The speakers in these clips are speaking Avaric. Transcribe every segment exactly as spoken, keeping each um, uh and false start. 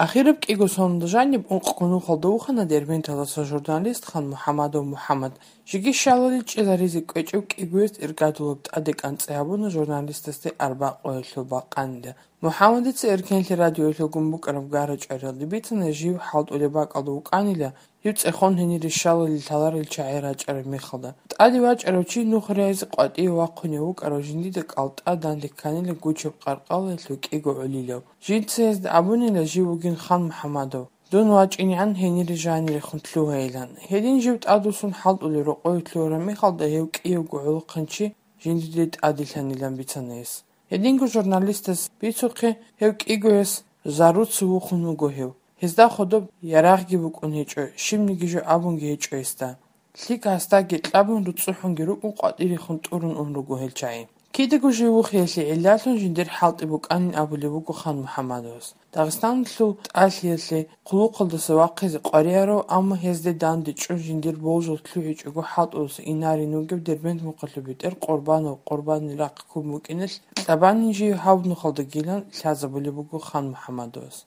Ахираб кӀиго соналда жаниб ункъго нухалда вухана Дербенталдаса журналист Ханмухьамадов МухӀаммад. Жеги щалалил чӀезаризе кӀвечӀев кӀигояс иргадулаб тӀаде кӀанцӀи гьабуна журналистасде арбякъуялъул бакъанила. МухӀаммадица Эркенлъи радиоялъулгун букӀараб гара-чӀвариялде бицана жив хӀалтӀулеб бакӀалда вукӀанила, гьев цӀехон гьенире щалалил лъаларел чагӀи рачӀараб мехалда. ТӀаде вачӀарав чи нух рагьизе къватӀиве вахъунев вукӀарав жиндида кӀалтӀа данде кканила гучаб къаркъалаялъул кӀиго гӀолилав. Жинца гьезда абунила жив вугин Ханмухьамадов. Дун вачӀинегӀан гьенире жанирехун лъугьайилан. Гьедин жив тӀадвуссун хӀалтӀулел рокъове лъугьараб мехалда гьев кӀиявго гӀолохъанчи жиндиде тӀаделъанилан бицана гьес. Гьединго журналистас бицухъе гьев кӀигояс заруца вухун вуго гьев. Гьезда хадуб ярагъги букӀун гьечӀо, щибниги жо абунги гьечӀо гьесда. ЛъикӀ гьасдаги кьабун, руцӀцӀухӀунги рукӀун къватӀирехун тӀурун ун руго гьел чагӀи. Кидаго жив вухиялъе гӀиллалъун жиндир хӀалтӀи букӀанин абулеб буго Ханмухьамадовас. Дагъистаналъул тӀалъиялъе хъулухъалдаса вахъизе къваригӀарав, амма гьезде данде чӀун жиндир болжал лъугӀичӀого хӀалтӀуласа инарин вугев Дербент мухъалъул бетӀер Къурбанов Къурбанил рахъ ккун букӀиналъ, кьабанин жив гьаб нухалдагилан лъазабулеб буго Ханмухьамадовас.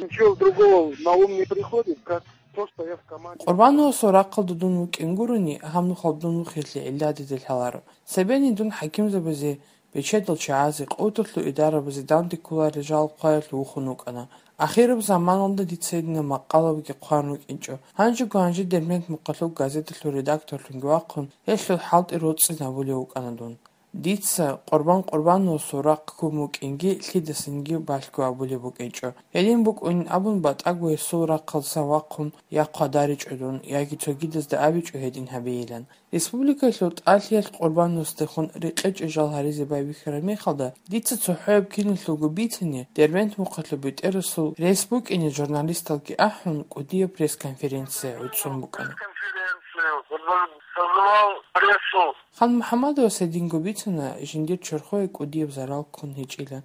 Ничего другого на ум не приходит, как то, что я в команде. Къурбановасул рахъалда дун вукӀин гурони, гьаб нухалда дун вухиялъе гӀилла дида лъаларо. Цебени дун хӀакимзабазе, бечедал чагӀазе, къоталъул идарабазе данде кколарел жал хъваялъ вухун вукӀана. Ахираб заманалда дица гьединаб макъалабиги хъван рукӀинчӀо. Гьанжего-гьанже Дербент мухъалъул газеталъул редакторлъунги вахъун, гьелъул хӀалтӀи роцӀцӀи гьабулев вукӀана дун. Дица Къурбан Къурбановасул рахъ ккун букӀинги лъидасанги балъго абулеб букӀинчӀо. Гьедин букӀунин абун, батӀаго гьесул рахъалдасан вахъун я хъвадаричӀо дун, яги цогидазда абичӀо гьедин гьабейилан. Республикалъул тӀалъиялъ Къурбановасдехун рекъечӀей жал гьаризе байбихьараб мехалда, дица цохӀояб киналъулго бицани, Дербент мухъалъул бетӀерасул рес букӀине журналисталги ахӀун, кӀудияб пресс-конференция гӀуцӀун букӀана. Пресс-конференцию, вот он созывал прессу. Ханмухьамадовас гьединго бицана, жиндир чорхое кӀудияб зарал ккун гьечӀила,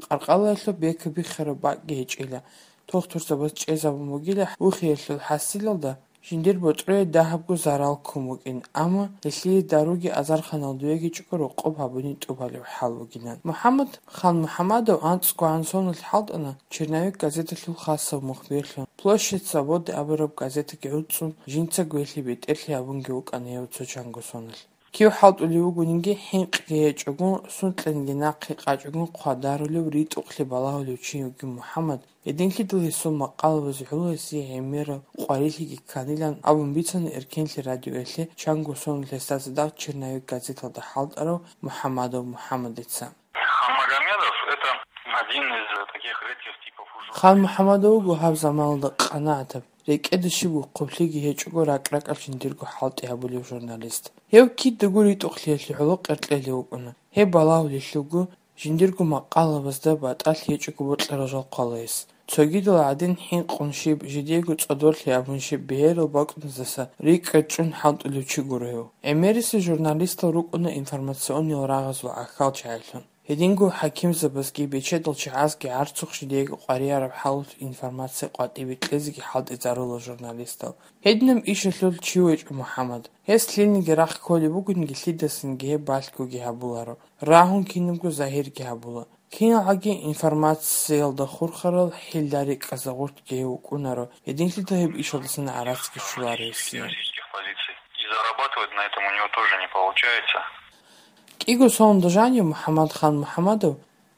къаркъалаялъул бекабихьараб бакӀги гьечӀила, тухтурзабаз чӀезабун бугила вухиялъул хӀасилалда, жиндир ботӀрое дагьабго зарал ккун букӀин, амма гьелъие даруги азарханал дуегичӀого рокъоб гьабунин тӀубалеб хӀал бугилан. МухӀаммад Ханмухьамадов анцӀгогӀан соналъ хӀалтӀана «Черновик» газеталъул хасав мухбирлъун, «Площадь Свободы» абураб газетаги гӀуцӀцӀун, жинцаго гьелъие бетӀерлъи гьабунги вукӀана гьев цо чанго соналъ. Кив хӀалтӀулев вугониги, хӀинкъиги гьечӀого, сункьаниги нахъе къачӀого хъвадарулев, ритӀухълъи балагьулев чи вугин МухӀаммад, гьединлъидал гьесул макъалабазе гӀоло гьесие гӀемерал къварилъиги кканилан абун бицана Эркенлъи радиоялъе чанго соналъ гьесда цадахъ «Черновик» газеталда хӀалтӀарав МухӀаммадов МухӀаммадица. Ханмагомедов — это один из таких редких типов уже. Ханмухьамадов вуго гьаб заманалда къанагӀатаб, рекӀеда щиб вухъублъиги гьечӀого ракӀ-ракӀалъ жиндирго хӀалтӀи гьабулев журналист. Гьев кидаго ритӀухълъиялъе гӀоло къеркьелев вукӀуна. Гьеб балагьулелъулго, жиндирго макъалабазда батӀалъи гьечӀого бокьарал жал хъвала гьес. Цогидал гӀадин хӀинкъун щиб, жидеего цӀодорлъи абун щиб бегьерал бакӀназдаса рикӀкӀад чӀун хӀалтӀулев чи гуро гьев. ГӀемерисел журналистал рукӀуна информационный рагъазул гӀахьал чагӀилъун. Гьединго хӀакимзабазги бечедал чагӀазги гӀарцухъ жидеего къваригӀараб хӀалалъ информация къватӀибе кьезеги хӀалтӀизарула журналистал. Гьединаб ишалъул чи вачӀо МухӀаммад. Гьес лъилниги рахъ кколеб бугониги, лъидасанги гьеб балъгоги гьабуларо. Рагьун кинабго загьирги гьабула. КиналгӀаги информациялда хурхарал хӀилла-рикӀкӀазда гъортги гьев вукӀунаро, гьединлъидал гьеб ишалдасан гӀарацги щоларо гьесие. И зарабатывать на этом у него тоже не получается. КӀиго соналда жанив МухӀаммад Ханмухьамадов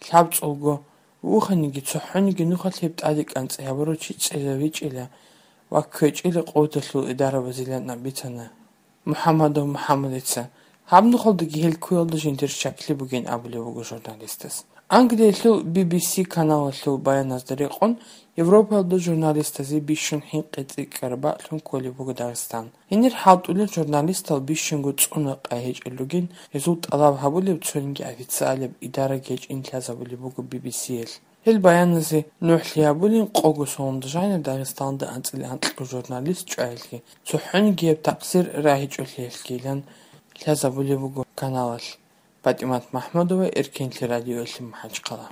лъабцӀулго вуханиги, цохӀониги нухалъ гьеб тӀаде кӀанцӀи гьабурав чи цӀезавичӀила ва кквечӀила къоталъул идарабазилан абицана МухӀаммадов МухӀаммадица. Гьаб нухалдаги гьел ккуялда жиндир щаклъи бугин абулеб буго журналистас. Англиялъул Би Би Си каналалъул баяназда рекъон, Европаялда журналистазе бищун хӀинкъи-цӀикӀкӀараб бакӀлъун кколеб буго Дагъистан. Гьенир хӀалтӀулел журналистал бищунго цӀуна къай гьечӀел ругин, гьезул тӀалаб гьабулеб цониги официалаб идараги гьечӀин лъазабулеб буго Би Би Сиялъ. Гьел баяназе нухӀлъи гьабулин къого соналда жанив Дагъистанда анцӀила анкьго журналист чӀваялъе, цохӀониги гьеб такъсир рагьичӀолъиялъгилан лъазабулеб буго каналалъ. ПатӀимат МахӀмудова, Эркенлъи радиоялъе МахӀачхъала.